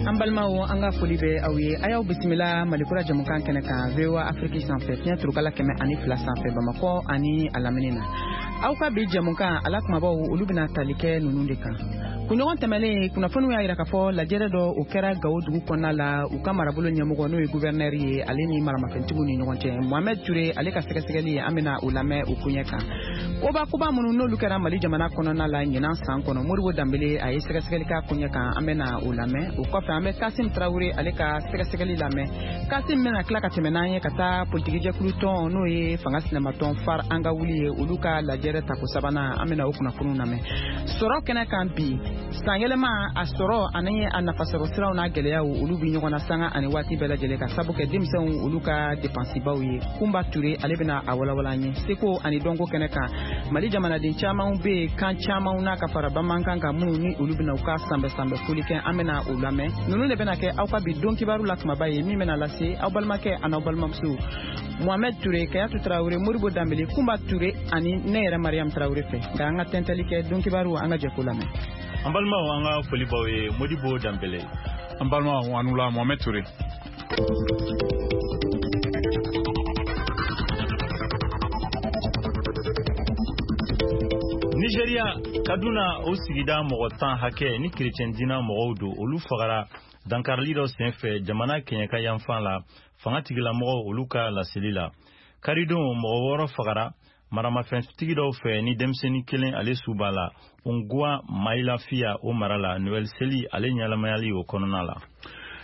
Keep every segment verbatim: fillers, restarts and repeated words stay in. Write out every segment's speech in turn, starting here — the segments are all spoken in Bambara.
An balimaw, an ka foli bɛ aw ye. A y'aw bisimila Malikura jamukan kɛnɛ kan V O A Afrique sanfɛ, fiɲɛ turukala kɛmɛ ani fila sanfɛ, Bamakɔ ani a lamini na. Aw ka bi jamukan ala kumabaw, olu bɛna tali kɛ ninnu de kan. Kunɲɔgɔn tɛmɛnen, kunnafoniw y'a jira k'a fɔ lajɛrɛ dɔ o kɛra Gawo dugu kɔnɔna la, u ka marabolo ɲɛmɔgɔ n'o ye gouverneur ye, ale ni maramafɛntigiw ni ɲɔgɔn cɛ. Mohamed Touré ale ka sɛgɛsɛgɛli, an bɛna o lamɛn o koɲɛ kan. Koba koba minnu n'olu kɛra Mali jamana kɔnɔna la ɲinan san kɔnɔ, Modibo Danbele a ye sɛgɛsɛgɛli k'a koɲɛ kan, an bɛna o lamɛn. O kɔfɛ, an bɛ Kasim Traoré ale ka sɛgɛsɛgɛli lamɛn. Kasim bɛna tila ka tɛmɛ n'an ye ka taa politikijɛkulu tɔn n'o ye fanga sinamatɔn FAR an ka wuli ye, olu ka lajɛrɛ tako sabanan, an bɛna o kunnafoniw lamɛn. Sɔrɔ kɛnɛ kan bi, sanyɛlɛma a sɔrɔ ani a nafasɔrɔ siraw n'a gɛlɛyaw, olu bɛ ɲɔgɔn na sanga ani waati bɛɛ lajɛlen, ka sabu kɛ denmisɛnw olu ka depansibaw ye. Kunba Ture ale bɛna a walawala an ye. Seko ani dɔnko kɛnɛ kan, Mali jamanaden caman bɛ yen kan caman n'a ka fara bamanankan kan, minnu ni olu bɛna u ka sanbɛ sanbɛ foli kɛ, an bɛna o lamɛn. Ninnu de bɛna kɛ aw ka bi don kibaru la kumaba ye, min bɛna lase aw balimakɛ ani aw balimamuso Mohamed Touré, Kayatu Traoré, Modibo Danbele, Kunba Touré ani ne yɛrɛ Mariam Traoré fɛ. Nka an ka tɛntɛli kɛ don kibaru, an ka jɛ k'o lamɛn. An balimaw, an ka foli b'aw ye. Modibo Danbele. An balimaw, an la Mohamed Touré. Nigeria, Kaduna o sigida mɔgɔ tan hakɛ ni kerecɛn diina mɔgɔw don, olu fagara dankarili dɔ senfɛ jamana kɛɲɛka yanfan la, fanga tigilamɔgɔw olu ka laseli la. Karidon, mɔgɔ wɔɔrɔ fagara maramafɛntigi dɔw fɛ ni denmisɛnnin kelen ale su b'a la, Unguwa Mailafiya o mara la, Noël seli ale ɲɛnamayali o kɔnɔna la.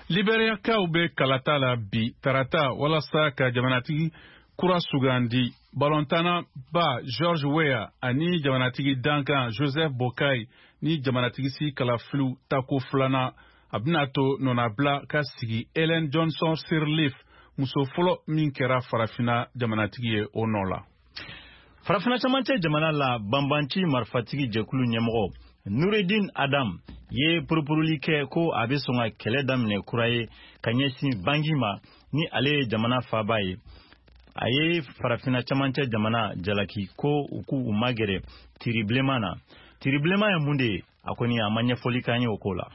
Liberiyakaw bɛ kalata la bi tarata walasa ka jamanatigi kura sugandi. Balontanna ba George Weah ani jamanatigi dankan Joseph Boakai ni jamanatigi si kalafiliw tako filanan, a bɛna to nɔnabila ka sigi Ellen Johnson Sirleaf, muso fɔlɔ min kɛra farafinna jamanatigi ye, o nɔ la. Farafina camancɛ jamana la, banbanci marifatigi jɛkulu ɲɛmɔgɔ Nureddin Adam ye purupuruli kɛ ko a bɛ sɔn ka kɛlɛ daminɛ kura ye ka ɲɛsin Bangi ma, ni ale ye jamana faaba ye. A ye farafina camancɛ jamana jalaki ko u k'u magɛrɛ tiri bilenman na. Tiri bilenman ye mun de ye? A kɔni a ma ɲɛfɔli k'an ye o ko la.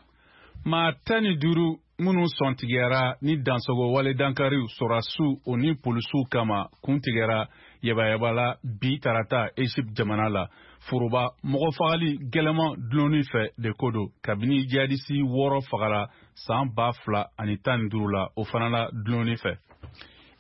Maa tan ni duuru minnu sɔntigɛra ni dansogo wale dankariw sɔrɔdasiw o ni polisiw kama kun tigɛra yabayaba la bi tarata Egypte jamana la, foroba mɔgɔ fagali gɛlɛman dulonni fɛ de ko don, kabini jihadisi wɔɔrɔ fagara san ba fila ani tan ni duuru la, o fana la dulonni fɛ.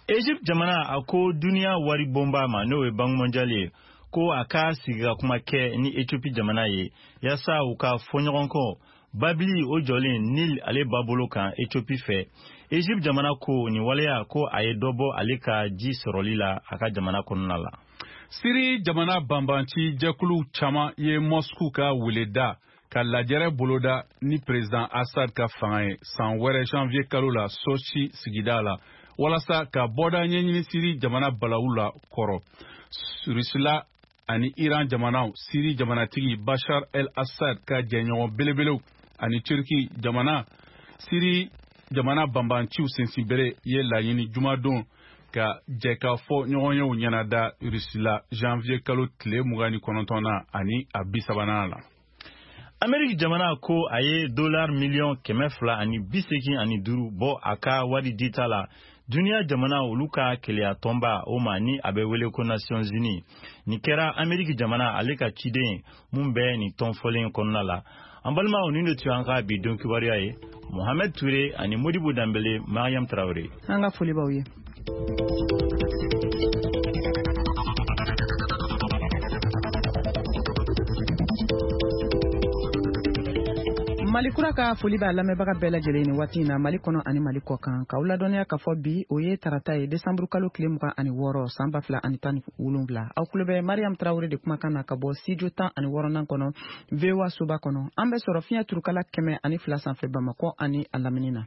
Egypte jamana a ko duniya wari bonba ma, n'o ye Banque mondiale ye, ko a ka sigi ka kuma kɛ ni Ethiopie jamana ye yaasa u ka fɔ ɲɔgɔn kɔ babili o jɔlen Nil ale babolo kan Ethiopie fɛ. Egypte jamana ko nin waleya ko a ye dɔ bɔ ale ka ji sɔrɔli la a ka jamana kɔnɔna la. Siri jamana banbanci jɛkulu caman ye Moscou ka weleda ka lajɛrɛ boloda ni président Assad ka fanga ye san wɛrɛ janvier kalo la Sochi sigida la, walasa ka bɔda ɲɛɲini Siri jamana balawu la kɔrɔ. Rusila ani Iran jamanaw, Siri jamanatigi Bashar el-Assad ka jɛɲɔgɔn belebelew, ani Turki jamana, Siri jamana banbanciw sensinbere ye laɲini jumadon ka jɛkafɔ ɲɔgɔnyew ɲɛnada Rusila janvier kalo tile mugan ni kɔnɔntɔn na ani a bi sabanan la. Ameriki jamana ko a ye dollar miliyɔn kɛmɛ fila ani bi seegin ani duuru bɔ a ka wari dita la duniya jamana olu ka keleya tɔnba o ma, ni a bɛ wele ko Nations Unies. Nin kɛra Ameriki jamana ale ka ciden mun bɛ nin tɔn fɔlen kɔnɔna la. An balimaw, nin de tun y'an ka bi don kibaruya ye. Mohamed Touré ani Modibo Danbele, Mariam Traoré. An ka foli b'aw ye. Mali kura ka foli b'a lamɛnbaga bɛɛ lajɛlen ni waati in na, Mali kɔnɔ ani Mali kɔ kan. K'aw ladɔnniya k'a fɔ bi o ye tarata ye, desanburu kalo tile mugan ani wɔɔrɔ san ba fila ani tan ni wolonwula. Aw tulo bɛ Mariam Traoré de kumakan na ka bɔ studio tan ani wɔɔrɔnan kɔnɔ, V O A soba kɔnɔ. An bɛ sɔrɔ fiɲɛ turukala kɛmɛ ani fila sanfɛ Bamakɔ ani a lamini na.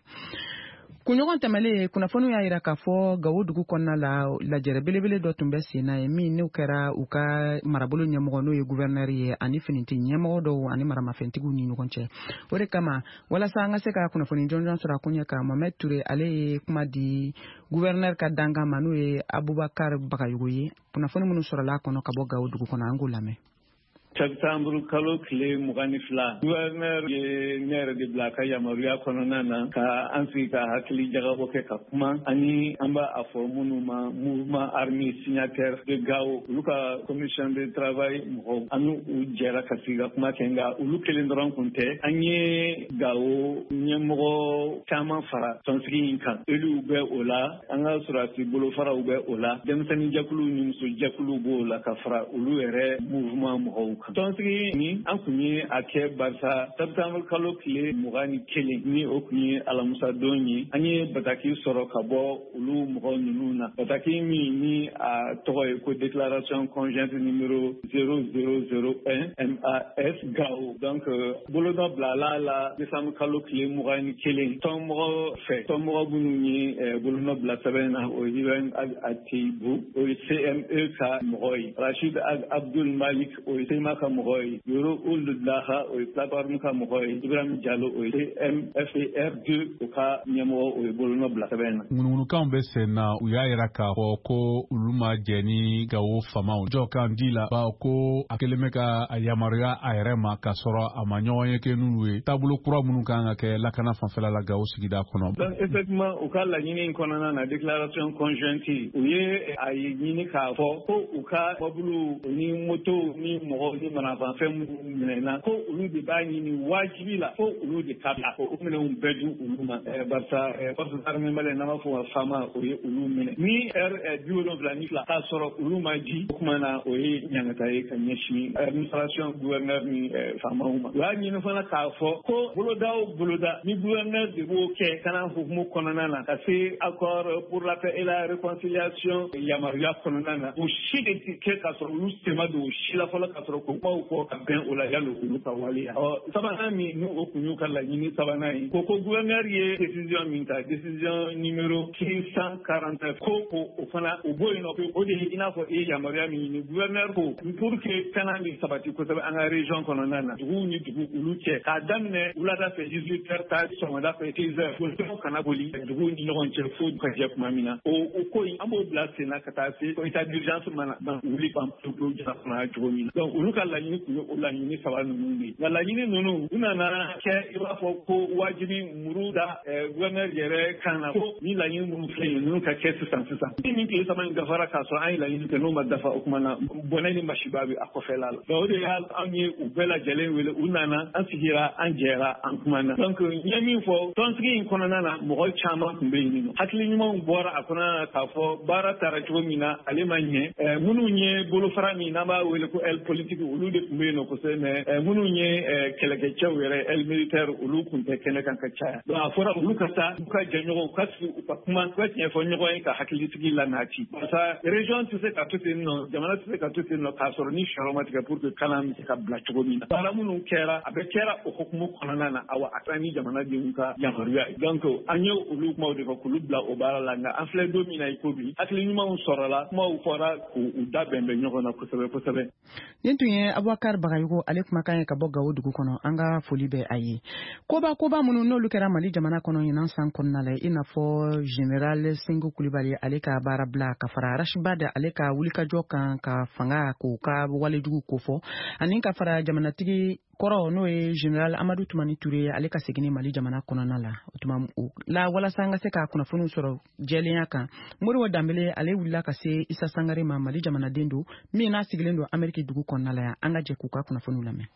Kunɲɔgɔn tɛmɛnen, kunnafoniw y'a jira k'a fɔ Gawo dugu kɔnɔna la, lajɛrɛ belebele dɔ tun bɛ sen na ye, min n'o kɛra u ka marabolo ɲɛmɔgɔ n'o ye gouverneur ye ani finiti ɲɛmɔgɔ dɔw ani maramafɛntigiw ni ɲɔgɔn cɛ. O de kama, walasa an ka se ka kunnafoni jɔnjɔn sɔrɔ a koɲɛ kan, Mohamed Touré ale ye kuma di gouverneur ka dankan ma, n'o ye Abubakar Bagayogo ye. Kunnafoni minnu sɔrɔla a kɔnɔ ka bɔ Gawo dugu kɔnɔ, an k'o lamɛn. Septembre kalo tile mugan ni fila, gouverneur ye ne yɛrɛ de bila a ka yamaruya kɔnɔna na ka an sigi ka hakili jagabɔ kɛ ka kuma ani an b'a a fɔ minnu ma mouvement armé signataire de Gao, olu ka commission de travail mɔgɔw, an n'u jɛra ka sigi ka kuma kɛ. Nka olu kelen dɔrɔn kun tɛ, an ye Gao ɲɛmɔgɔ caman fara tɔnsigi in kan. Éluw bɛ o la, an ka sɔrɔdasi bolofaraw bɛ o la, denmisɛnninjɛkuluw ni musojɛkuluw b'o la ka fara olu yɛrɛ mouvement mɔgɔw kan. Tɔnsigi ni an kun ye a kɛ barisa septembre kalo tile mugan ni kelen ni o kun ye alamusadon ye, an ye bataki sɔrɔ ka bɔ olu mɔgɔ ninnu na, bataki min ni a tɔgɔ ye ko déclaration conjointe numéro zéro zéro zéro un M A S Gao. Donc bolonɔ bilala la décembre kalo tile mugan ni kelen tɔnmɔgɔ fɛ. Tɔnmɔgɔ minnu ye bolonɔ bila sɛbɛn na, o ye Ibrahim Ag Ateibu, o ye C M E ka mɔgɔ ye, Rachid Ag Abdul Malik, o ye C M A ka mɔgɔ ye, Yoro Ould Daha, o ye plateforme ka mɔgɔ ye, Ibrahim Diallo, o ye C M F R deux o ka ɲɛmɔgɔ, o ye bolonɔ bila sɛbɛn na. Ŋunuŋunukanw bɛ sen na, u y'a yira k'a fɔ ko olu ma jɛ ni Gawo famaw jɔkan di la, bawo ko a kelen bɛ ka a yamaruya a yɛrɛ ma k'a sɔrɔ a ma ɲɔgɔn ye kɛ n'olu ye taabolo kura minnu kan ka kɛ lakana fanfɛla la Gawo sigida kɔnɔ. Donc effectivement, u ka laɲini in kɔnɔna na, déclaration conjointe, u ye a ɲini k'a fɔ ko u ka mɔbiliw ni motow ni mɔgɔw ni manafɛn minnu minɛna, ko olu de b'a ɲini wajibi la ko olu de ka bila, ko o minɛnw bɛɛ di olu ma, barisa forces armées maliennes, n'an b'a fɔ o ma FAMA, o ye olu minɛ ni heure bi wolonwula ni fila k'a sɔrɔ olu ma di. O kuma na, o ye ɲangata ye ka ɲɛsin administration, gouverneur ni faamaw ma. U y'a ɲini fana k'a fɔ ko boloda o boloda ni gouverneur de b'o kɛ kana hukumu kɔnɔna na ka se accord pour la paix et la réconciliation yamaruya kɔnɔna na, o si de ti kɛ k'a sɔrɔ olu sema don o si la fɔlɔ, k'a sɔrɔ ko kumaw fɔ ka bɛn o la yalo olu ka waleya. Ɔ sabanan min ni o kun y'u ka laɲini sabanan ye, ko ko gouverneur ye décision min ta, décision numéro six cent quarante-neuf, ko ko o fana o bɔ yen nɔ, o de ye i n'a fɔ i ye yamaruya min ɲini. Gouverneur ko pour que kana bɛ sabati kosɛbɛ an ka région kɔnɔna na, duguw ni dugu olu cɛ, k'a daminɛ wulada fɛ dix-huit heures ta sɔgɔmada fɛ seize heures, bolifɛnw kana boli duguw ni ɲɔgɔn cɛ fo ka jɛ tuma min na. O o ko in, an b'o bila sen na ka taa se état d'urgence mana ban wuli ban pewu pewu jamana kɔnɔ cogo min na. Donc olu ka laɲini tun ye o laɲini saba ninnu de ye. Nka laɲini ninnu, u nana kɛ i b'a fɔ ko wajibi muru da gouverneur yɛrɛ kan na ko ni laɲini minnu filɛ nin ninnu ka kɛ sisan sisan. Ni nin tile saba in dafara k'a sɔrɔ an ye laɲini kɛ, n'o ma dafa, o kuma na bɔnɛ ni masiba bɛ a kɔfɛla la. Donc o de y'a anw ye u bɛɛ lajɛlen wele, u nana, an sigira, an jɛra, an kumana. Donc n ye min fɔ, tɔnsigi in kɔnɔna na, mɔgɔ caman tun bɛ yen nɔ, hakili ɲumanw bɔra a kɔnɔna na k'a fɔ baara taara cogo min na, ale ma ɲɛ. Minnu ye bolofara min n'an b'a wele ko aile politique, olu de tun bɛ yen nɔ kosɛbɛ, mais minnu ye kɛlɛkɛcɛw yɛrɛ, aile militaire, olu tun tɛ kɛnɛ kan ka caya. Donc a fɔra olu ka taa u ka jɛɲɔgɔnw u ka sigi, u ka kuma, u ka tiɲɛ fɔ ɲɔgɔn ye ka hakilisigi lanati, barisa région tɛ se ka to ten nɔ, jamana tɛ se ka to ten nɔ k'a sɔrɔ ni fɛɛrɛ ma tigɛ pour que kalan bɛ se ka bila cogo min na. Baara minnu kɛra, a bɛ kɛra o hukumu kɔnɔna na, awa a taara ni jamanadenw ka yamaruya ye. Donc an ye olu kumaw de fɔ k'olu bila o baara la. Nka an filɛ don min na i ko bi, hakili ɲumanw sɔrɔla, kumaw fɔra k'u da bɛn bɛn ɲɔgɔn na kosɛbɛ kosɛbɛ. Nin tun ye Abubakar Bagayogo ale kumakan ye ka bɔ Gawo dugu kɔnɔ. An ka foli bɛ a ye. Koba koba minnu n'olu kɛra Mali jamana kɔnɔ ɲinan san kɔnɔna la, i n'a fɔ général Sengo Kulibali ale ka baara bila, ka fara Ras Bath ale ka wulikajɔ kan ka fanga k'o ka walejugu kofɔ, ani ka fara jamanatigi kɔrɔ n'o ye général Amadu Tumani Ture ale ka seginni Mali jamana kɔnɔna la. O tuma la, walasa an ka se ka kunnafoniw sɔrɔ jɛlenya kan, Modibo Danbele ale wulila ka se Isa Sangare ma, Mali jamanaden don min n'a sigilen don Ameriki dugu kɔnɔna la yan. An ka jɛ k'u ka kunnafoniw lamɛn.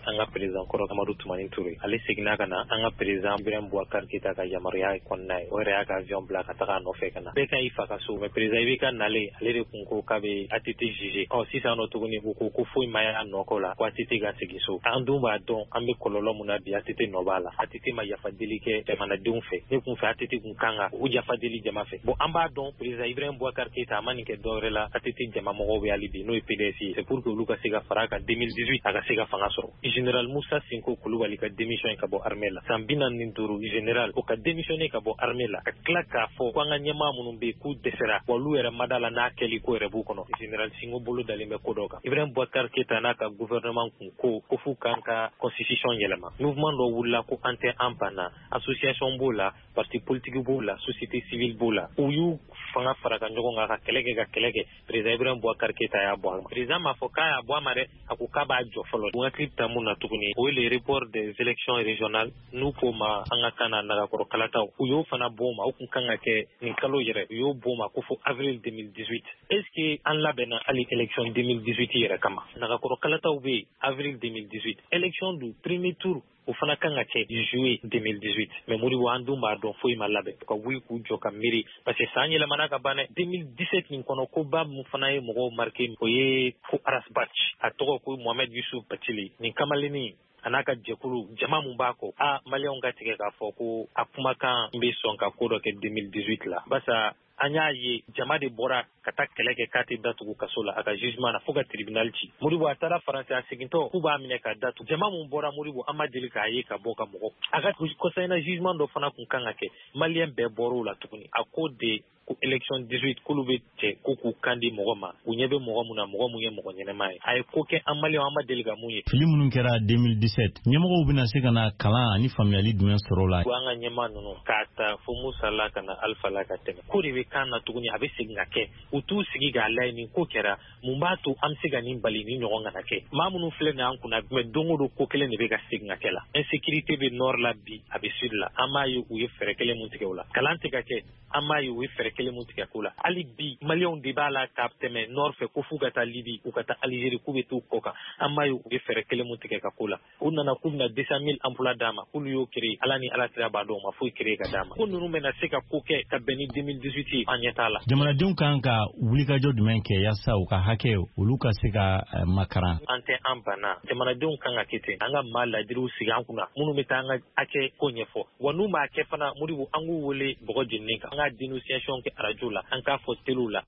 An ka président kɔrɔ Amadu Tumani Ture, ale seginna ka na an ka président Ibrahim Boubacar Keita ka yamaruya kɔnɔna ye. O yɛrɛ y'a ka avion bila ka taga a nɔfɛ ka na. Bɛɛ ka i fa ka so, mais président I B K nalen, ale de kun ko k'a bɛ A T T juger. Ɔ sisan nɔ tuguni, u ko ko foyi ma y'a nɔ ko la, ko A T T ka segin so. An dun b'a dɔn an bɛ kɔlɔlɔ mun na bi, A T T nɔ b'a la. A T T ma yafa deli kɛ jamanadenw fɛ. Ne kun fɛ, A T T kun kan ka u yafa deli jama fɛ. Bon, an b'a dɔn président Ibrahim Boubacar Keita a ma nin kɛ dɔwɛrɛ la, A T T jama mɔgɔw bɛ hali bi, n'o ye P D S ye, c'est pour que olu ka se ka fara a kan deux mille dix-huit, a ka se ka fanga sɔrɔ. Général Moussa Sinko Kulubali ka démission ka bɔ armée la. San bi naani ni duuru général o ka démissionner ka bɔ armée la, ka tila k'a fɔ ko an ka ɲɛmaa minnu bɛ yen k'u dɛsɛra, wa olu yɛrɛ ma da la n'a kɛli ko yɛrɛ b'u kɔnɔ. Général Sinko bolo dalen bɛ ko dɔ kan. Ibrahim Boubacar Keïta n'a ka gouvernement kun ko ko f'u k'an ka constitution yɛlɛma. Mouvement dɔ wulila ko an tɛ an banna, association b'o la, parti politique b'o la, société civile b'o la. U y'u fanga fara ka ɲɔgɔn kan ka kɛlɛ kɛ ka kɛlɛ kɛ. Président Ibrahim Boubacar Keïta y'a bɔ a ma. Président m'a fɔ k'a y'a bɔ a ma dɛ, a ko k'a b'a jɔ fɔlɔ. U hakili bɛ taa mun na tuguni, o ye le report des élections régionales, n'u k'o ma an ka kan na nagakɔrɔ kalataw. U y'o fana bɔ o ma, o kun kan ka kɛ nin kalo yɛrɛ, u y'o bɔ o ma ko fo avril deux mille dix-huit. Est-ce que an labɛnna hali élection deux mille dix-huit yɛrɛ kama? Nagakɔrɔ kalataw bɛ yen avril deux mille dix-huit. Élection du premier tour o fana kan ka kɛ juillet deux mille dix-huit. Mais Modibo, an dun b'a dɔn foyi ma labɛn. Ka wuli k'u jɔ ka miiri, parce que san yɛlɛmana ka ban dɛ. deux mille dix-sept nin kɔnɔ, koba mun fana ye mɔgɔw marqué, o ye ko Ras Bath, a tɔgɔ ko Mohamed Youssouf Bathily. Nin kamalennin a n'a ka jɛkulu jama mun b'a kɔ, a maliyɛnw ka tigɛ k'a fɔ ko a kumakan bɛ sɔn ka ko dɔ kɛ deux mille dix-huit la. Barisa an y'a ye jama de bɔra ka taa kɛlɛ kɛ k'a tɛ datugu kaso la a ka jugement na fo ka tribunal ci. Modibo a taara Faransi, a segintɔ k'u b'a minɛ k'a datugu. Jama mun bɔra Modibo, an ma deli k'a ye ka bɔ ka mɔgɔ. A ka kɔsayina jugement dɔ fana kun kan ka kɛ, maliyɛn bɛɛ bɔr'o la tuguni. A ko de ko élection dix-huit k'olu bɛ cɛ ko k'u kan di mɔgɔ ma, u ɲɛ bɛ mɔgɔ mun na, mɔgɔ mun ye mɔgɔ ɲɛnɛma ye. A ye ko kɛ an maliyɛnw an ma deli ka mun ye. Fili minnu kɛra deux mille dix-sept, ɲɛmɔgɔw bɛna se ka na kalan ani faamuyali jumɛn sɔrɔ o la? An ka ɲɛmaa ninnu k'a ta fo Musa la ka na Alpha la ka tɛmɛ, ko de bɛ kan na tuguni, a bɛ segin ka kɛ. U t'u sigi k'a lajɛ nin ko kɛra, mun b'a to an bɛ se ka nin bali ni ɲɔgɔn kana kɛ. Maa minnu filɛ nin ye an kunna, mais don o don ko kelen de bɛ ka segin ka kɛ la. Insécurité bɛ nord la bi, a bɛ sud la. An b'a ye u ye fɛɛrɛ kelen mun tigɛ o la. Kalan tɛ ka kɛ, an b'a ye u ye fɛɛrɛ kelen mun tigɛ ko la. Hali bi maliyɛnw de b'a la ka tɛmɛ nord fɛ ko f'u ka taa Libi, u ka taa Algérie, k'u bɛ t'u kɔ kan. An b'a ye u ye fɛɛrɛ kelen mun tigɛ ka ko la. U nana k'u bɛna deux cent mille emplois d'a ma, k'olu y'o créer, Ala ni Ala kira b'a dɔn, u ma foyi créer ka d'a ma. Ko ninnu bɛna se ka ko kɛ ka bɛn ni deux mille dix-huit ye, an ɲɛ t'a la. Jamanadenw kan ka wulikajɔ jumɛn kɛ yaasa u ka hakɛ olu ka se ka makaran? An tɛ an banna, jamanadenw kan ka kɛ ten. An ka maa ladiriw sigi an kunna minnu bɛ taa an ka hakɛ ko ɲɛfɔ, wa n'u m'a kɛ fana Modibo, an k'u wele bɔgɔ jeninen kan, an ka dénonciation kɛ arajo la, an k'a fɔ teliw la.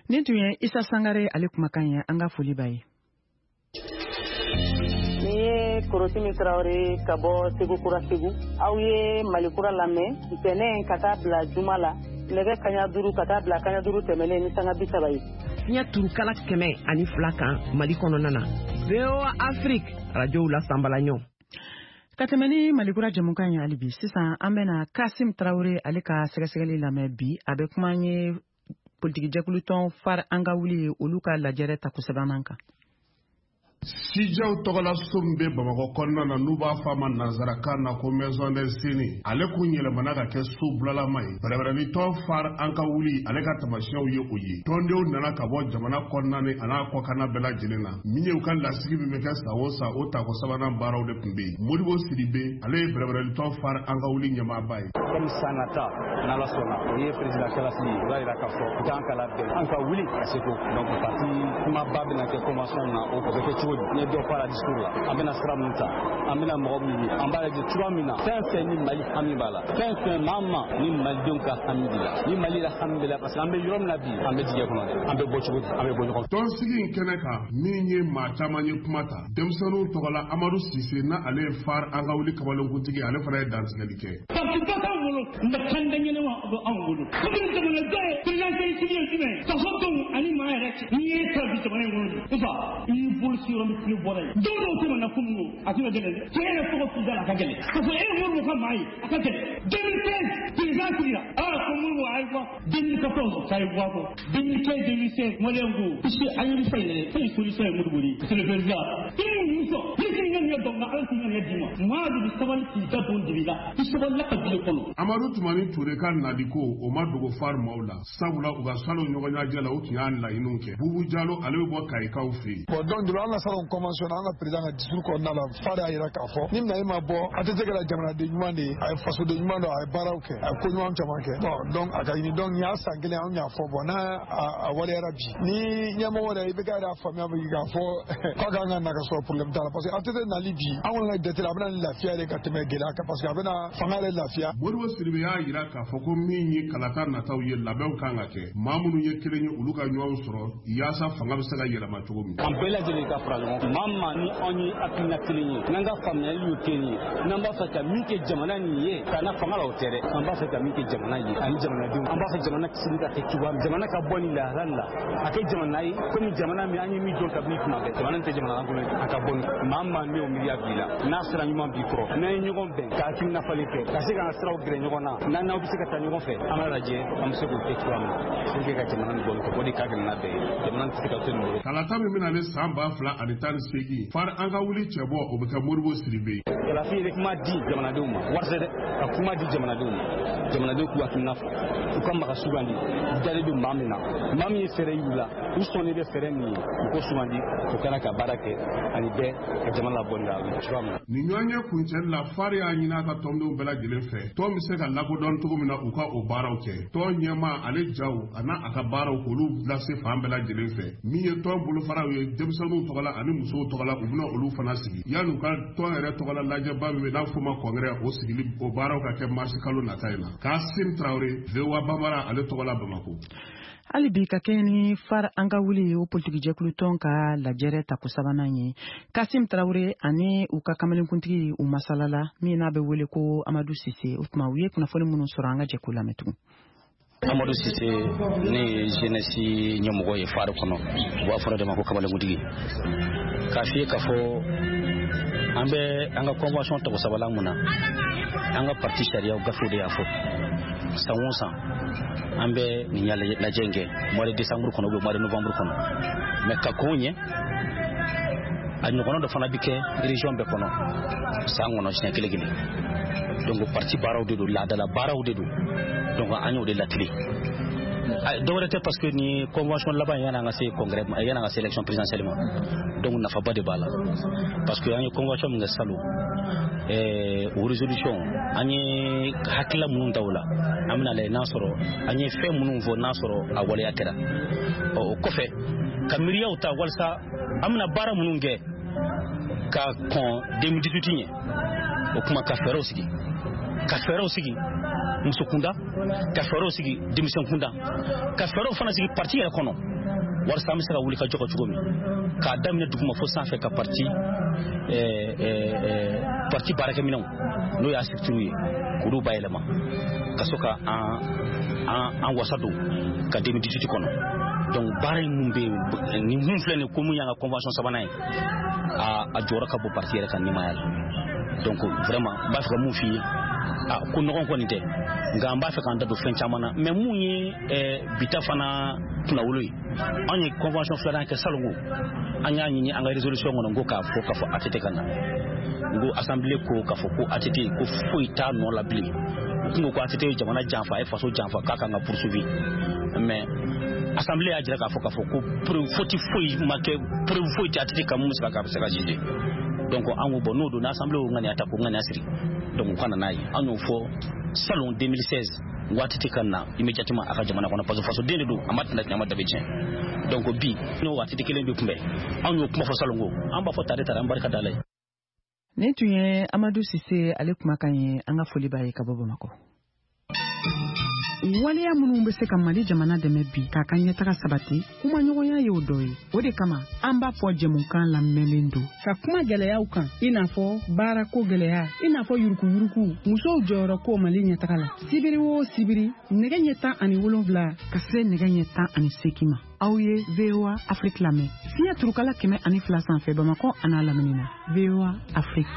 Nin tun ye Isa Sangare ale kumakan ye, an ka foli b'a ye. Ni ye Korosimi Tarawele ka bɔ Segu Kura Segu, aw ye Mali Kura lamɛn ntɛnɛn ka taa bila juma la nɛgɛ kaɲa duuru ka taa bila kaɲa duuru tɛmɛnen ni sanga bi saba ye. Fiɲɛ turukala kɛmɛ ani fila kan Mali kɔnɔna na. V O A Afrique arajow la sanbalaɲɔ. Ka tɛmɛ ni Mali Kura jɛmukan ye hali bi, sisan an bɛna Kasim Tarawele ale ka sɛgɛsɛgɛli lamɛn bi. A bɛ kuma an ye politikijɛkulutɔn FARE an ka wuli olu ka lajɛrɛ tako sabanan kan. Sijaw tɔgɔla so min bɛ Bamakɔ kɔnɔna na, n'u b'a fɔ a ma nanzarakan na ko Maison des Aînés, ale kun yɛlɛmana ka kɛ so bulalama ye. Bɛrɛbɛrɛlitɔn FARE an ka wuli ale ka tamasiyɛnw ye o ye. Tɔndenw nana ka bɔ jamana kɔnɔna ni a n'a kɔkanna bɛɛ lajɛlen na. Min ye u ka lasigi min bɛ kɛ san o san, o tako sabanan baaraw de tun bɛ yen. Modibo Sidibe, ale ye bɛrɛbɛrɛlitɔn FARE an ka wuli ɲɛmaaba ye. Comme san nata n'Ala sɔnna, o ye président kalafili ye, o b'a yira k'a fɔ k'an ka labɛn, an ka wuli ka se ko donc parti kumaba bɛna kɛ convention na, o bɛ kɛ cogo di? N ye dɔ fɔ a la discours la, an bɛna sira min ta, an bɛna mɔgɔ min ye, an b'a lajɛ cogoya min na fɛn fɛn ni Mali hami b'a la, fɛn fɛn maa ma ni malidenw ka hami b'i la, ni Mali yɛrɛ hami b'i la, parce que an bɛ yɔrɔ min na bi, an bɛ dingɛ kɔnɔ dɛ, an bɛ bɔ cogo di, an bɛ bɔ ɲɔgɔn fɛ. Tɔnsigi in kɛnɛ kan, min ye maa caman ye kuma ta, denmisɛnninw tɔgɔ la Amadu Sise, n'a ale ye FARE an ka wuli kamalenkuntigi, ale fana ye dantigɛli kɛ. Parti ba t'anw bolo, nka kanda ɲɛnama bɛ anw bolo. Komi jamanaden ye président sigi ye jumɛn ye, fasodenw ani maa yɛrɛ cɛ, n'i ye ta bi jamana in kɔnɔ bi, n fa i y'i bolo si yɔrɔ min tile bɔra yen. Don dɔw tɛmɛ na kunun ko a tɛna gɛlɛn dɛ, cɛ yɛrɛ tɔgɔ f'i da la a ka gɛlɛn, k'a fɔ e ye Modibo ka maa ye a ka gɛlɛn. deux mille treize président sigira, aa ko Modibo a ye bɔ, deux mille quatorze k'a ye bɔ a kɔ, deux mille quinze deux mille seize maliyɛn ko puisque an ye fɛn in dɛ, fɛn in solution ye Modibo de ye, c'est le président. I m'u sɔn ni k'i ŋaniya dɔn nka Ala k'i ŋaniya d'i ma, maa de bɛ sabali k'i da don dibi la, i sabalila ka bila kɔnɔ. Amadu Tumani Ture ka naliko o ma dogo FARE maaw la, sabula u ka salon ɲɔgɔn ɲɛnajɛ la, u tun y'a laɲiniw kɛ. Bubu Jalo, ale bɛ bɔ Kayikaw fɛ yen. Bon donc depuis an ka salon convention na, an ka président ka discours kɔnɔna la, FARE y'a jira k'a fɔ ni Mali ma bɔ, a tɛ se ka jamanaden ɲuman de ye, a ye fasoden ɲuman dɔn, a ye baaraw kɛ, a ye ko ɲuman caman kɛ. Bon donc a ka ɲini, donc nin y'a san kelen an y'a fɔ, bon n'a a waleyara bi, ni ɲɛmɔgɔ yɛrɛ i bɛ ka yɛrɛ faamuya bi k'a fɔ k'a kan ka na ka sɔrɔ problème t'a la parce que A T T nali bi an kɔni ka jate la a bɛna ni lafiya de ka tɛmɛ gɛlɛya kan parce que a bɛna fanga yɛrɛ lafiya. Modibo Sidibe y'a jira k'a fɔ ko min ye kalata nataw ye labɛnw kan ka kɛ maa minnu ye kelen ye olu ka ɲɔgɔn sɔrɔ yaasa fanga bɛ se ka yɛlɛma cogo min. An bɛɛ lajɛlen ka fara ɲɔgɔn kan maa maa ni anw ye hakilina kelen ye n'an ka faamuyali ye kelen ye n'an b'a fɛ ka min kɛ jamana nin ye ka na fanga la o tɛ dɛ an b'a fɛ ka min kɛ jamana ye ani jamanadenw an b'a fɛ jamana sini ka kɛ cogoya min jamana ka bɔ nin lahala la a kɛ jamana ye komi jamana min an ye min dɔn kabini tuma bɛɛ jamana tɛ jamana lankolon ye a ka bɔ nin maa maa min o miiriya b'i la n'a sira ɲuman b'i kɔrɔ n'an ye ɲɔgɔn bɛn ka hakilina falen kɛ ka se k'an siraw gɛrɛ ɲɔgɔn na n'an n'aw bɛ se ka taa ɲɔgɔn fɛ an b'a lajɛ an bɛ se k'o kɛ cogoya min na pour que ka jamana nin bɔ nin kɔ o de ka gɛlɛn n'a bɛɛ ye jamana tɛ se ka to nin bolo. Kalata min bɛna ne san ba fila ani tan ni seegin fari an ka wuli cɛbɔ o bɛ kɛ Modibo Sidibe. Kalafin ye kuma di jamanadenw ma wari tɛ dɛ ka kuma di jamanadenw ma jamanadenw k'u hakilina fɔ u ka maga sugandi dalen bɛ maa min na maa min ye fɛɛrɛ y'u la u sɔnnen bɛ fɛɛrɛ min ye u ko sugandi u kana ka baara kɛ ani bɛɛ ka jamana labɔ nin la cogoya min na. Nin ɲɔgɔnye kuncɛli la fari y'a ɲini a ka tɔndenw bɛɛ lajɛlen fɛ tɔn bɛ se ka lakodɔn cogo min na u ka o baaraw kɛ tɔn ɲɛmaa ale jaw a n'a a ka baaraw k'olu lase fan bɛɛ lajɛlen fɛ min ye tɔn bolofaraw ye denmisɛnninw tɔgɔ la ani musow tɔgɔ la u bɛna olu fana sigi yanni u ka tɔn yɛrɛ tɔgɔ la lajɛba min bɛ n'a fɔ ma kɔngɛrɛ o sigili o baaraw ka kɛ marisi kalo nata in na Kasim Traoré V O A Bambara ale tɔgɔ la Bamako. Hali bi ka kɛɲɛ ni far an ka wuli o politikijɛkulu tɔn ka lajɛrɛ tako sabanan ye Kasim Traoré ani u ka kamalenkuntigi u masalala min n'a bɛ wele ko Amadu Sise o tuma u ye kunnafoni minnu sɔrɔ an ka jɛ k'u lamɛn tugun. Amadu Sise ne ye jeunesse ɲɛmɔgɔ ye fari kɔnɔ u b'a fɔ de ma ko kamalenkuntigi k'a f'i ye k'a fɔ an bɛ an ka convention tako sabanan mun na an ka parti sariyaw gafew de y'a fɔ san o san an bɛ nin lajɛ in kɛ mois de décembre kɔnɔ ou bien mois de novembre kɔnɔ mais ka kɔn ɲɛ a ɲɔgɔnna dɔ fana bɛ kɛ région bɛɛ kɔnɔ san kɔnɔ siɲɛ kelen kelen donc parti baaraw de don laadala baaraw de don donc an y'o de latile dɔwɛrɛ tɛ parce que ni convention laban yanni an ka se congrès ma yanni an ka se élection présidentielle ma donc nafaba de b'a la parce que an ye convention min kɛ salon ɛɛ o résolution an ye hakilila minnu ta o la an bɛna lajɛ n'a sɔrɔ an ye fɛn minnu fɔ n'a sɔrɔ a waleya kɛra ɔ o kɔfɛ ka miiriyaw ta walasa an bɛna baara minnu kɛ ka kɔn deux mille dix-huit ɲɛ o kuma ka fɛɛrɛw sigi ka fɛɛrɛw sigi muso kunda ka fɛɛrɛw sigi denmisɛn kunda ka fɛɛrɛw fana sigi parti yɛrɛ kɔnɔ walasa an bɛ se ka wuli ka jɔ cogo min k'a daminɛ duguma fo sanfɛ ka parti ɛɛ ɛɛ parti baarakɛminɛnw n'o y'a structure ye k'olu bayɛlɛma ka sɔrɔ ka an an an wasa don ka deux mille dix-huit kɔnɔ donc baara in mun bɛ yen nin mun filɛ nin ye ko mun y'an ka convention sabanan ye a a jɔyɔrɔ ka bon parti yɛrɛ ka ɲɛmaaya la donc vraiment n b'a fɛ ka mun f'i ye a ko nɔgɔn kɔni tɛ nka an b'a fɛ k'an da don fɛn caman na mais mun ye bita fana kunnawolo ye anw ye convention filanan kɛ salon ko an y'a ɲini an ka résolution kɔnɔ n ko k'a fɔ k'a fɔ A T T ka na n ko assemblée ko k'a fɔ ko A T T ko foyi t'a nɔ la bilen u kun ko ko A T T ye jamana janfa a ye faso janfa k'a kan ka poursuivi mais assemblée y'a jira k'a fɔ k'a fɔ ko preuve faute foyi ma kɛ preuve foyi tɛ A T T kan mun bɛ se ka se ka juger donc an ko bon n'o don assemblée y'o ŋaniya ta k'o ŋaniya siri donc u ka na n'a ye an y'o fɔ salon deux mille seize waati tɛ ka na immédiatement a ka jamana kɔnɔ parce que fasoden de don a ma tɛna tiɲɛ a ma dabe tiɲɛ donc bi n'o waati tɛ kelen bɛ kunbɛn an y'o kuma fɔ salon ko an b'a fɔ tare tare an barika da la ye. Nin tun ye Amadu Sise ale kumakan ye an ka foli b'a ye ka bɔ Bamakɔ. Waleya minnu bɛ se ka Mali jamana dɛmɛ bi k'a ka ɲɛtaga sabati kumaɲɔgɔnya y'o dɔ ye o de kama an b'a fɔ jɛmukan lamɛnlen don ka kuma gɛlɛyaw kan i n'a fɔ baarako gɛlɛya i n'a fɔ yurukuyuruku musow jɔyɔrɔ ko Mali ɲɛtaga la sibiri o sibiri nɛgɛ ɲɛ tan ani wolonwula ka se nɛgɛ ɲɛ tan ani seegin ma aw ye V O A Afrique lamɛn fiɲɛ turukala kɛmɛ ani fila sanfɛ Bamakɔ an'a lamini na V O A Afrique.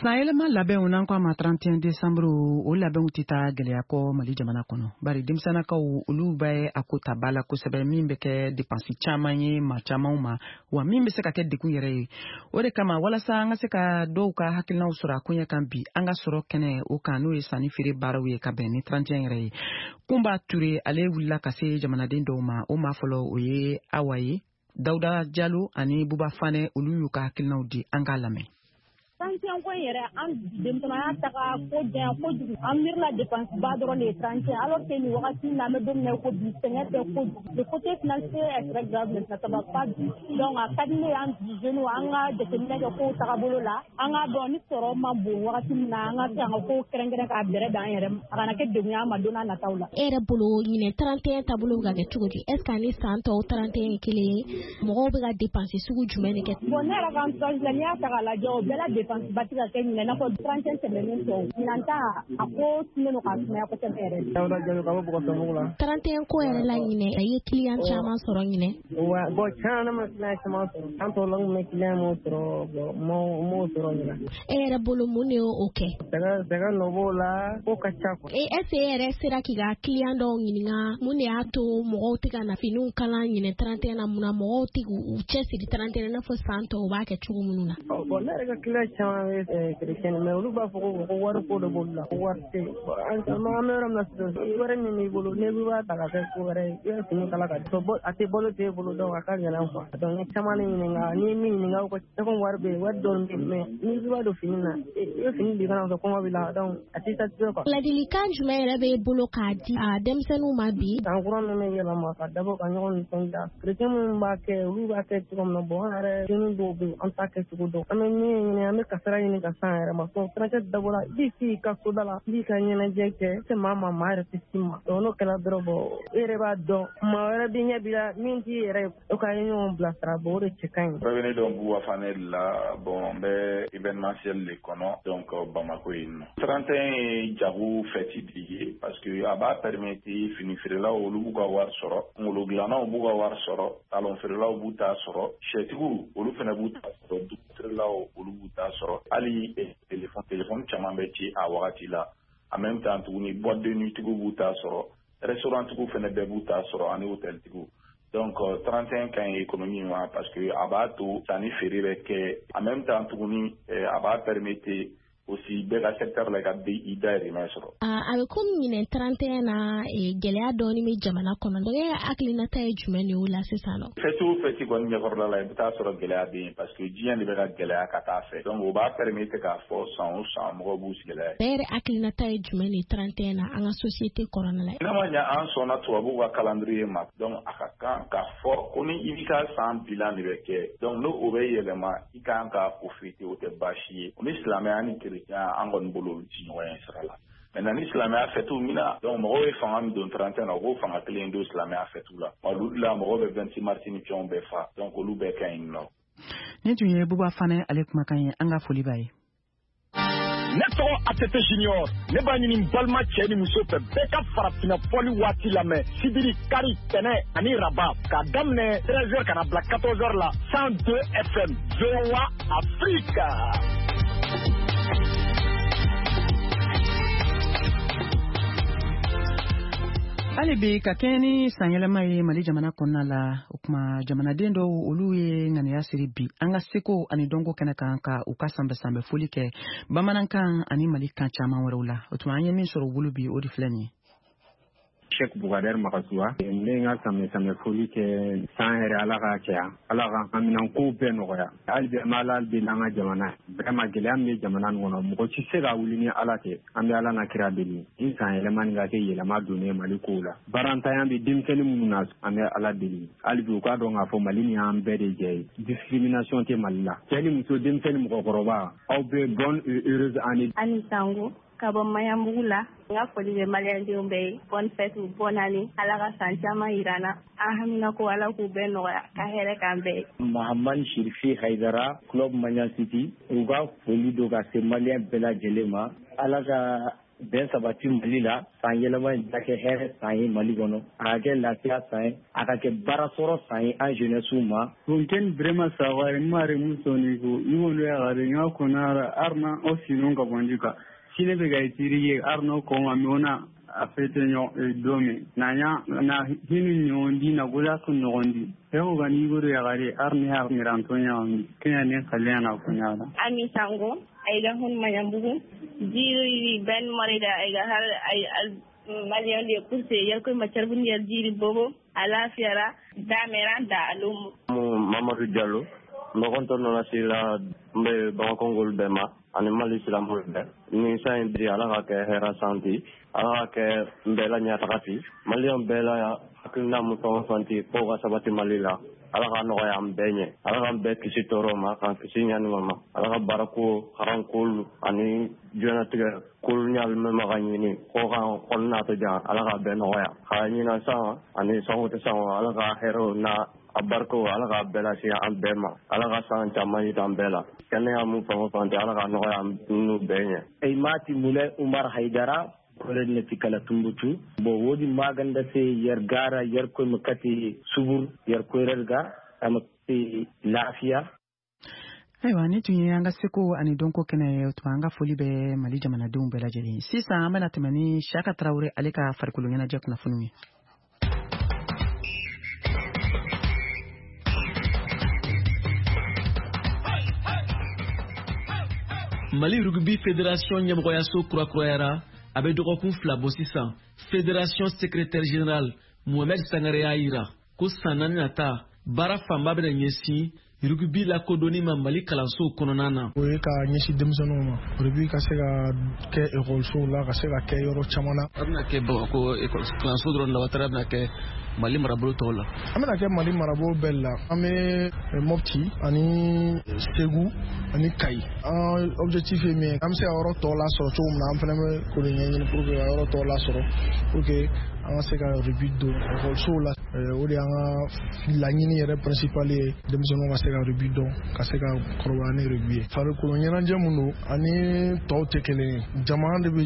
Sanyɛlɛma labɛnw n'an ko a ma trente et un décembre o labɛnw tɛ taa gɛlɛya kɔ Mali jamana kɔnɔ bari denmisɛnnakaw olu bɛ a ko ta ba la kosɛbɛ min bɛ kɛ dépense caman ye maa camanw ma wa min bɛ se ka kɛ degun yɛrɛ ye o de kama walasa an ka se ka dɔw ka hakilinaw sɔrɔ a koɲɛ kan bi an ka sɔrɔ kɛnɛ o kan n'o ye sanni feere baaraw ye ka bɛn ni trente et un yɛrɛ ye Kunba Ture ale wulila ka se jamanaden dɔw ma o maa fɔlɔ o ye Awa ye Dawuda Jalo ani Buba Fanɛ olu y'u ka hakilinaw di an k'a lamɛn. trente et un ko in yɛrɛ an denmisɛnninya taga ko janya kojugu an miirila dépense ba dɔrɔn de ye trente et un alors que nin wagati in na an bɛ don min na i ko bi sɛgɛn tɛ kojugu le côté financier est très grave maintenant ça va pas du donc a ka di ne ye an bi jeunes an ka jateminɛ kɛ kow tagabolo la an k'a dɔn ni sɔrɔ man bon wagati min na an ka se an ka kow kɛrɛnkɛrɛn k'a bɛrɛ bɛn an yɛrɛ ma a kana kɛ degun ye an ma don n'a nataw la. E yɛrɛ bolo ɲinɛ trente et un taabolo bɛ ka kɛ cogo di est ce que ani san tɔw trente et un ye kelen ye mɔgɔw bɛ ka dépense sugu jumɛn de kɛ. Bon ne yɛrɛ ka entourage la n'i y'a ta k'a lajɛ o bɛɛ la dépense ba tɛ ka kɛ ɲinɛ i n'a fɔ trente et un tɛmɛnen tɔw ɲinan ta a ko tunnen don k'a sumaya kosɛbɛ yɛrɛ. Dawuda Jalo ka bɔ Bɔgɔsɔnbugu la. trente et un ko yɛrɛ la ɲinɛ a ye client caman sɔrɔ ɲinɛ. Wa bon tiɲɛ na ne ma client caman sɔrɔ an tɔw la n kun bɛ client mun sɔrɔ bon n m'o sɔrɔ ɲinɛ. E yɛrɛ bolo mun de y'o kɛ. Sɛgɛ sɛgɛ nɔ b'o la ko ka ca quoi. E est ce que e yɛrɛ sera k'i ka client dɔw ɲininka mun de y'a to mɔgɔw tɛ ka na finiw kala ɲinɛ trente et un na mun na mɔgɔw tɛ k'u cɛsiri trente et un i n'a fɔ san tɔw b'a kɛ cogo minnu na. Bon ne yɛrɛ ka client caman bɛ chrétien mais olu b'a fɔ ko ko wari ko de b'olu la ko wari tɛ yen an bɛ yɔrɔ min na sisan wari min b'i bolo n'i b'a ta ka kɛ ko wɛrɛ ye i bɛ fini kala ka di a tɛ balo t'e bolo donc a ka gɛlɛn quoi donc n ye caman de ɲininka n'i ye min ɲininka ko ko wari bɛ yen wari dɔɔni bɛ yen mais n'i b'a don fini na i bɛ fini di kana sɔrɔ kɔngɔ b'i la donc a t'i satisfait quoi. Ladilikan jumɛn yɛrɛ b'e bolo k'a di a denmisɛnninw ma bi. San kura ninnu bɛ yɛlɛma ka dabɔ ka ɲɔgɔn nisɔndiya chrétien minnu b'a kɛ olu b'a kɛ cogo min na bon an yɛrɛ dennin dɔw bɛ yen an t'a kɛ cogo dɔn an bɛ min ɲini an bɛ kasara ɲini ka s'an yɛrɛ ma donc trente et un dabɔra i b'i sigi i ka soda la i b'i ka ɲɛnajɛ kɛ i tɛ maa ma maa yɛrɛ tɛ s'i ma donc n'o kɛra dɔrɔn bon e yɛrɛ b'a dɔn maa wɛrɛ b'i ɲɛ b'i la min t'i yɛrɛ ye o ka ɲɔgɔn bilasira bon o de cɛ ka ɲi. Bɛɛ bɛ ne dɔn Buwa Fane de la bon n bɛ événementiel de kɔnɔ donc Bamako yen nɔ. trente et un ye jago fête de ye parce que a b'a permettre fini feerelaw olu b'u ka wari sɔrɔ kunkolo dilannaw b'u ka wari sɔrɔ talon feerelaw b'u ta sɔrɔ sɛtigiw olu fana b'u ta sɔrɔ dugu feerelaw olu b'u ta sɔrɔ hali téléphone téléphone caman bɛ ci a wagati la en même temps tuguni boîte de nuit tigiw b'u ta sɔrɔ restaurant tigiw fana bɛɛ b'u ta sɔrɔ ani hôtel tigiw. Donc trente et un ka ɲi économie ma parce que a b'a to sanni feere bɛ kɛ en même temps tuguni a b'a permettre aussi bɛɛ ka secteur la i ka i dahirimɛ sɔrɔ. A bɛ komi ɲinɛ trente et un na gɛlɛya dɔɔni bɛ jamana kɔnɔ donc e ka hakilinata ye jumɛn de y'o la sisan nɔ. Fête o fête kɔni ɲɛkɔrɔla la i bɛ taa sɔrɔ gɛlɛya bɛ yen parce que diɲɛ de bɛ ka gɛlɛya ka taa fɛ donc o b'a permettre k'a fɔ san o san mɔgɔw b'u sigi gɛlɛya. Bɛɛ yɛrɛ hakilinata ye jumɛn de ye trente et un na an ka société kɔnɔna la. N'a ma ɲɛ an sɔnna tubabuw ka calendrier ma donc a ka kan k'a fɔ ko ni i b'i ka san bilan de bɛ kɛ donc n'o o bɛ yɛlɛma i kan ka o fêter o tɛ baasi ye o ni silamɛya ni chrétien an kɔni bolo olu ti ɲɔgɔn ye sira la. Maintenant ni silamɛya fɛtiw min na donc mɔgɔw ye fanga min don trente et un na u k'o fanga kelen don silamɛya fɛtiw la olu la mɔgɔw bɛ vingt-six mars ni fɛnw bɛɛ fa donc olu bɛɛ ka ɲi nɔ. Nin tun ye Buba Fane ale kumakan ye an ka foli b'a ye. Ne tɔgɔ A T T Junior ne b'a ɲini n balima cɛ ni muso fɛ bɛɛ ka farafinna fɔli waati lamɛn sibiri kari tɛnɛ ani raba k'a daminɛ treize heures ka na bila quatorze heures la cent deux F M V O A Afrique. Hali bi ka kɛɲɛ ni sanyɛlɛma ye Mali jamana kɔnɔna la o kuma jamanaden dɔw olu ye ŋaniya siri bi an ka seko ani dɔnko kɛnɛ kan ka u ka sanbɛ-sanbɛ foli kɛ bamanankan ani Mali kan caman wɛrɛw la o tuma an ye min sɔrɔ u bolo bi o de filɛ nin ye. Cheikh Bougader Makasuwa ne n ka sanbɛ-sanbɛ foli kɛ san yɛrɛ Ala k'a caya Ala ka haminankow bɛɛ nɔgɔya hali bi an bɛ Ala deli an ka jamana vraiment gɛlɛya min bɛ jamana nin kɔnɔ mɔgɔ si tɛ se ka wuli ni Ala tɛ an bɛ Ala n'a kira deli ni san yɛlɛma nin ka kɛ yɛlɛma donnen Mali kow la baarantanya bɛ denmisɛnnin minnu na an bɛ Ala deli hali bi u k'a dɔn k'a fɔ Mali ni y'an bɛɛ de jɛ ye discrimination tɛ Mali la cɛ ni muso denmisɛnnin mɔgɔkɔrɔba aw bɛɛ bonne et heureuse année. Ani Sango ka bɔ Maɲanbugu la n ka foli bɛ maliyɛndenw bɛɛ ye bonne fête bonne année Ala ka san caman yira an na an hamina ko Ala k'u bɛɛ nɔgɔya ka hɛrɛ k'an bɛɛ ye. Mahamani Shirifi Hayidara club Maɲan City u ka foli don ka se maliyɛn bɛɛ lajɛlen ma Ala ka bɛn sabati Mali la san yɛlɛma in ka kɛ hɛrɛ san ye Mali kɔnɔ a ka kɛ lafiya san ye a ka kɛ baarasɔrɔ san ye an jeunesse ma. Funken Brema Sawari mari musoni ko iwolu yagare ŋa konara arna o sinun ka bonjika sine be ga itiri arno ko ma mona a fete ɲɔ don min na ɲa na hinu ɲɔgɔndi na gola kun ɲɔgɔndi yau gani guru yagare arni har miranto ɲɔgɔndi kenya ne kalena na kunyala. Ami Sango aiga hun Maɲanbugu jiri ben marida aiga har ay maliyɛn de kurse yalkoy macarbun yal jiri bobo ala fiyara damera da alum. Mamadou Diallo N bɛ kɔntɔn nana si la n bɛ Bamakɔngolu bɛɛ ma ani Mali silamɛw bɛɛ. Ni san in bi Ala ka kɛ hɛrɛ san ti, Ala ka kɛ n bɛɛ la ɲɛtaga ti. Maliyɛn bɛɛ la hakilina mun fɛn o fɛn ti k'o ka sabati Mali la. Ala ka nɔgɔya an bɛɛ ɲɛ. Ala k'an bɛɛ kisi tɔɔrɔ ma, k'an kisi ɲani ma. Ala ka baarako, haranko ani diɲɛlatigɛ kolo ɲali min ma ka ɲini k'o kan kɔnɔna to jan, Ala k'a bɛɛ nɔgɔya. Ka ɲinan san ani sanko tɛ san, Ala ka hɛrɛw n'a a barikaw Ala k'a bɛɛ lase an bɛɛ ma. Ala ka san caman yira an bɛɛ la. Kɛnɛya mun fɛn o fɛn tɛ, Ala ka nɔgɔya an n'u bɛɛ ɲɛ. Aymati Moulay Oumar Haidara kolenne tikala Tumbutu bo wodi maganda se yer gara yer koy makati subur yer koy rerga amati lafiya. Ayiwa, ni tun ye an ka seko ani dɔnko kɛnɛ ye, o tuma an ka foli bɛ Mali jamanadenw bɛɛ lajɛlen. Sisan an bɛna tɛmɛ ni Siyaka Tarawele ale ka farikolo ɲɛnajɛ kunnafoniw ye. Mali Rugby Fédération ɲɛmɔgɔyaso kurakurayara a bɛ dɔgɔkun fila bɔ sisan. Fédération secrétaire général Mohamed Sangare y'a yira ko san naani nata baara fanba bɛna ɲɛsin rugby lakodɔnni ma Mali kalansow kɔnɔna na. O ye ka ɲɛsin denmisɛnninw ma, rugby ka se ka kɛ ekɔlisow la, ka se ka kɛ yɔrɔ caman na. A bɛna kɛ Bamakɔ kalanso dɔrɔn la, wa taara bɛna kɛ Mali marabolo tɔw la. An bɛna kɛ Mali marabolo bɛɛ la. An bɛ Mopti ani Segu ani Kayi. An objectif ye min ye, an bɛ se ka yɔrɔ tɔw lasɔrɔ cogo min na, an fana bɛ k'o de ɲɛɲini pour que ka yɔrɔ tɔw lasɔrɔ, pour que an ka se ka rugby don ekɔlisow la. O de y'an ka laɲini yɛrɛ principal ye, denmisɛnninw ka se ka rugby dɔn, ka se ka kɔrɔbaya ni rugby ye. Farikolo ɲɛnajɛ mun don ani tɔw tɛ kelen ye. Jama de bɛ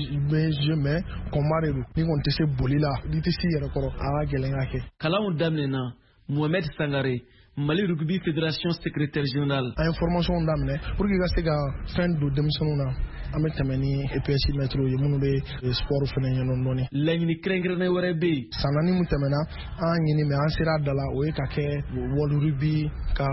jouer, mais combat de don. N'i kɔni tɛ se boli la, n'i tɛ s'i yɛrɛ kɔrɔ, a ka gɛlɛn ka kɛ. Kalanw daminɛna. Mohamed Sangare, Mali Rugby Fédération secrétaire général. An ye formation daminɛ pour que ka se ka fɛn don denmisɛnninw na. An bɛ tɛmɛ ni E P S mɛtiriw ye minnu bɛ sport fɛnɛ ɲɛdɔn dɔɔni. Laɲini kɛrɛnkɛrɛnnen wɛrɛ bɛ yen. San naani min tɛmɛna, an ɲini mɛ an sera a da la, o ye ka kɛ World Rugby ka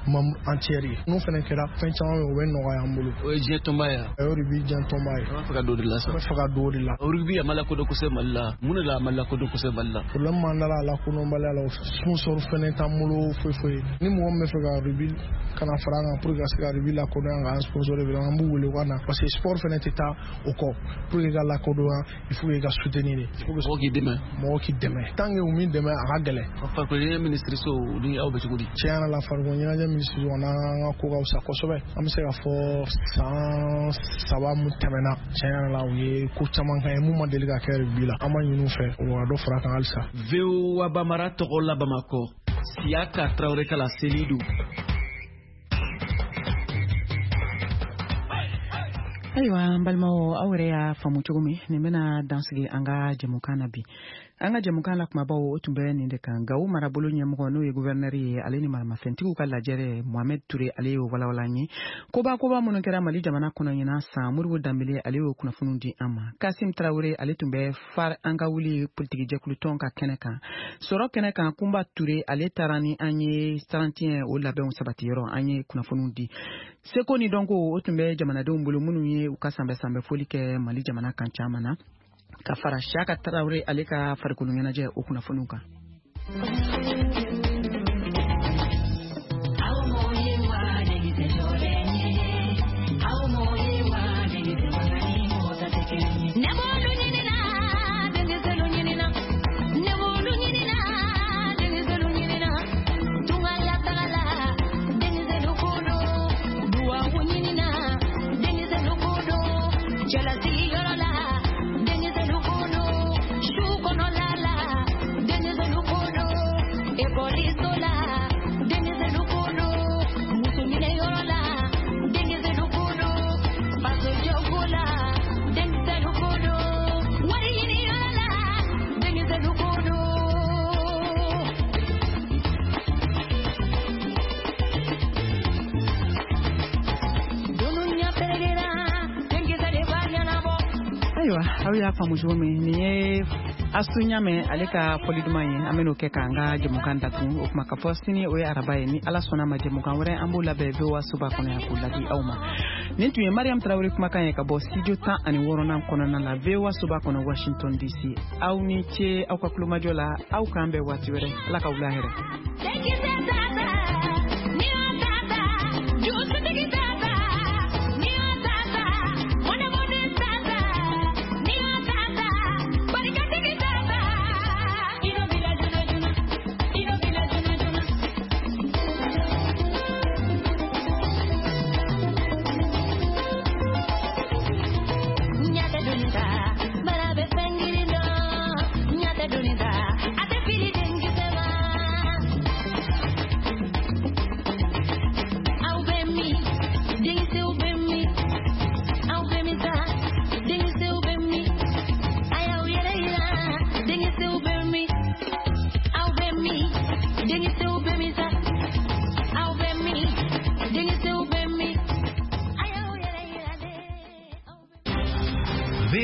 membre entière ye. N'o fɛnɛ kɛra, fɛn caman bɛ yen o bɛ nɔgɔya an bolo. O ye diɲɛ tɔnba ye wa? O ye rugby diɲɛ tɔnba ye. An b'a fɛ ka don o de la sa. An bɛ fɛ ka don o de la. Rugby a ma lakodɔn kosɛbɛ Mali la. Mun de la a ma lakodɔn kosɛbɛ Mali la? Problème m'an da la a lakodɔnbaliya la, sponsor fɛnɛ t'an bolo foyi foyi. Ni mɔgɔ min bɛ fɛ ka rugby kana fara an kan pour que ka se ka rugby lakodɔn, k'an sponsor vraiment, an b'u wele u ka na, parce que sport fɛnɛ tɛ taa o kɔ. Pour que ka lakodɔn, il faut que ka soutenir de. Mɔgɔ k'i dɛmɛ. Mɔgɔ k'i dɛmɛ. Tant que u m'i dɛmɛ, a ka gɛlɛn. Farikolo ɲɛnajɛ minisiriso ni aw bɛ cogo di? Tiɲɛ yɛrɛ la, farikolo ɲɛnajɛ minisiriso n'an ka ko ka fisa kosɛbɛ. An bɛ se k'a fɔ san saba mun tɛmɛna, tiɲɛ yɛrɛ la, u ye ko caman kɛ mun ma deli ka kɛ rugby la. An b'a ɲini u fɛ u ka dɔ fara a kan halisa. V O A Bamara tɔgɔ la Bamakɔ, Siyaka Tarawele ka laseli don. Ayiwa, n balimaw, aw yɛrɛ y'a faamu cogo min, nin bɛna dansigi an ka jɛmukan na bi. An ka jɛmukan la kumabaw o tun bɛ nin de kan. Gawo marabolo ɲɛmɔgɔ n'o ye gouverneur ye, ale ni maramafɛntigiw ka lajɛrɛ Mohamed Touré, ale y'o walawala an ye. Koba koba minnu kɛra Mali jamana kɔnɔ ɲinan san, Modibo Danbele ale y'o kunnafoniw di an ma. Kasim Tarawele ale tun bɛ FAR an ka wuli politikijɛkulutɔn ka kɛnɛ kan. Sɔrɔ kɛnɛ kan, Kunba Touré ale taara ni an ye trente et un o labɛnw sabatiyɔrɔ, an ye kunnafoniw di. Seko ni dɔnko o tun bɛ jamanadenw bolo minnu ye u ka sanbɛ sanbɛ foli kɛ Mali jamana kan caman na, ka fara Siyaka Tarawele ale ka farikolo ɲɛnajɛ o kunnafoniw kan. Ayiwa, aw y'a faamu cogo min, nin ye Asu Ɲamɛ ale ka fɔli duman ye. An bɛn'o kɛ k'an ka jɛmukan datugu. O kuma ka fɔ sini o ye araba ye, ni Ala sɔnna ma jɛmukan wɛrɛ an b'o labɛn V O A soba kɔnɔ yan k'o ladi aw ma. Nin tun ye Mariam Tarawele kumakan ye ka bɔ studio tan ani wɔɔrɔnan kɔnɔna la V O A soba kɔnɔ Washington D C. Aw ni ce aw ka kulomajɔ la, aw k'an bɛn waati wɛrɛ. Ala ka wula hɛrɛ.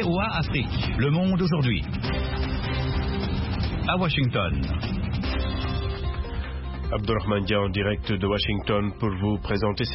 V O A Afrique, le monde aujourd'hui. À Washington. Abdurrahman Dia en direct de Washington pour vous présenter cette